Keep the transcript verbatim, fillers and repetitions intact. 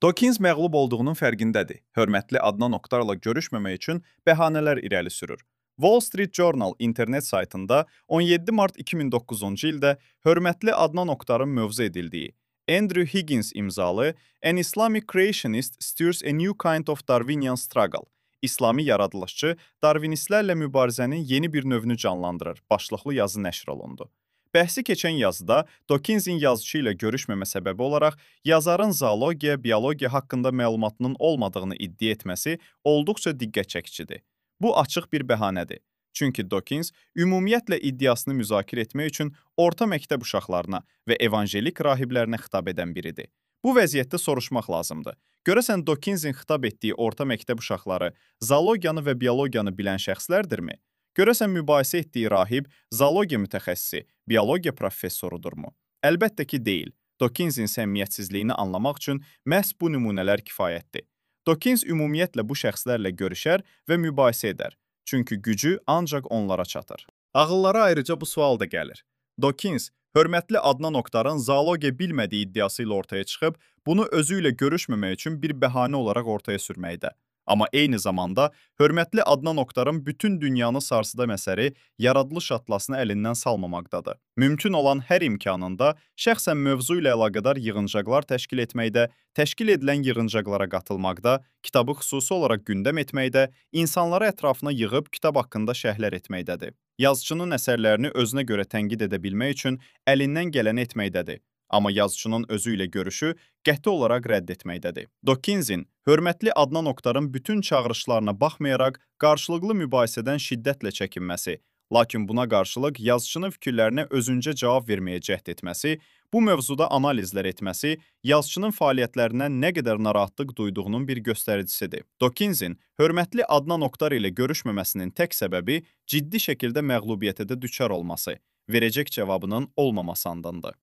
Dawkins məğlub olduğunun fərqindədir. Hörmətli Adnan Oktarla görüşməmək üçün bəhanələr irəli sürür. Wall Street Journal internet saytında on yeddi mart iki min doqquzuncu ildə hörmətli Adnan Oktarın mövzu edildiyi, Andrew Higgins imzalı An Islamic Creationist Stirs a New Kind of Darwinian Struggle, İslami yaradılışçı Darwinistlərlə mübarizənin yeni bir növünü canlandırır başlıqlı yazı nəşr olundu. Bəhsi keçən yazıda Dawkinsin yazıçı ilə görüşməmə səbəbi olaraq yazarın zoologiya, biologiya haqqında məlumatının olmadığını iddia etməsi olduqca diqqət çəkicidir. Bu açıq bir bəhanədir. Çünki Dawkins ümumiyyətlə iddiasını müzakirə etmək üçün orta məktəb uşaqlarına və evangelik rahiblərinə xitab edən biridir. Bu vəziyyətdə soruşmaq lazımdır. Görəsən Dawkinsin xitab etdiyi orta məktəb uşaqları zoologiyanı və biologiyanı bilən şəxslərdirmi? Görəsən mübahisə etdiyi rahib zoologiya mütəxəssisi, biologiya professorudurmu? Əlbəttə ki, deyil. Dawkinsin səmimiyyətsizliyini anlamaq üçün məhz bu nümunələr kifayətdir. Dawkins ümumiyyətlə bu şəxslərlə görüşər və mübahisə edər. Çünki gücü ancaq onlara çatır. Ağıllara ayrıca bu sual da gəlir. Dawkins, hörmətli Adnan Oktarın zoologiya bilmədiyi iddiası ilə ortaya çıxıb, bunu özü ilə görüşməmək üçün bir bəhanə olaraq ortaya sürməkdə. Amma eyni zamanda hörmətli Adnan Oktarın bütün dünyanı sarsıdan əsəri yaradılış atlasını əlindən salmamaqdadır. Mümkün olan hər imkanında şəxsən mövzu ilə əlaqədar yığıncaqlar təşkil etməkdə, təşkil edilən yığıncaqlara qatılmaqda, kitabı xüsusi olaraq gündəm etməkdə, insanları ətrafına yığıb kitab haqqında şərhlər etməkdədir. Yazıçının əsərlərini özünə görə tənqid edə bilmək üçün əlindən gələni etməkdədir. Amma yazıçının özü ilə görüşü qəti olaraq rədd etməkdədir. Dawkinsin hörmətli Adnan Oktarın bütün çağırışlarına baxmayaraq qarşılıqlı mübahisədən şiddətlə çəkinməsi, lakin buna qarşılıq yazıçının fikirlərinə özüncə cavab verməyə cəhd etməsi, bu mövzuda analizlər etməsi yazıçının fəaliyyətlərindən nə qədər narahatlıq duyduğunun bir göstəricisidir. Dawkinsin hörmətli Adnan Oktar ilə görüşməməsinin tək səbəbi ciddi şəkildə məğlubiyyətə də düçar olması, verəcək cavabının olmaması andandır.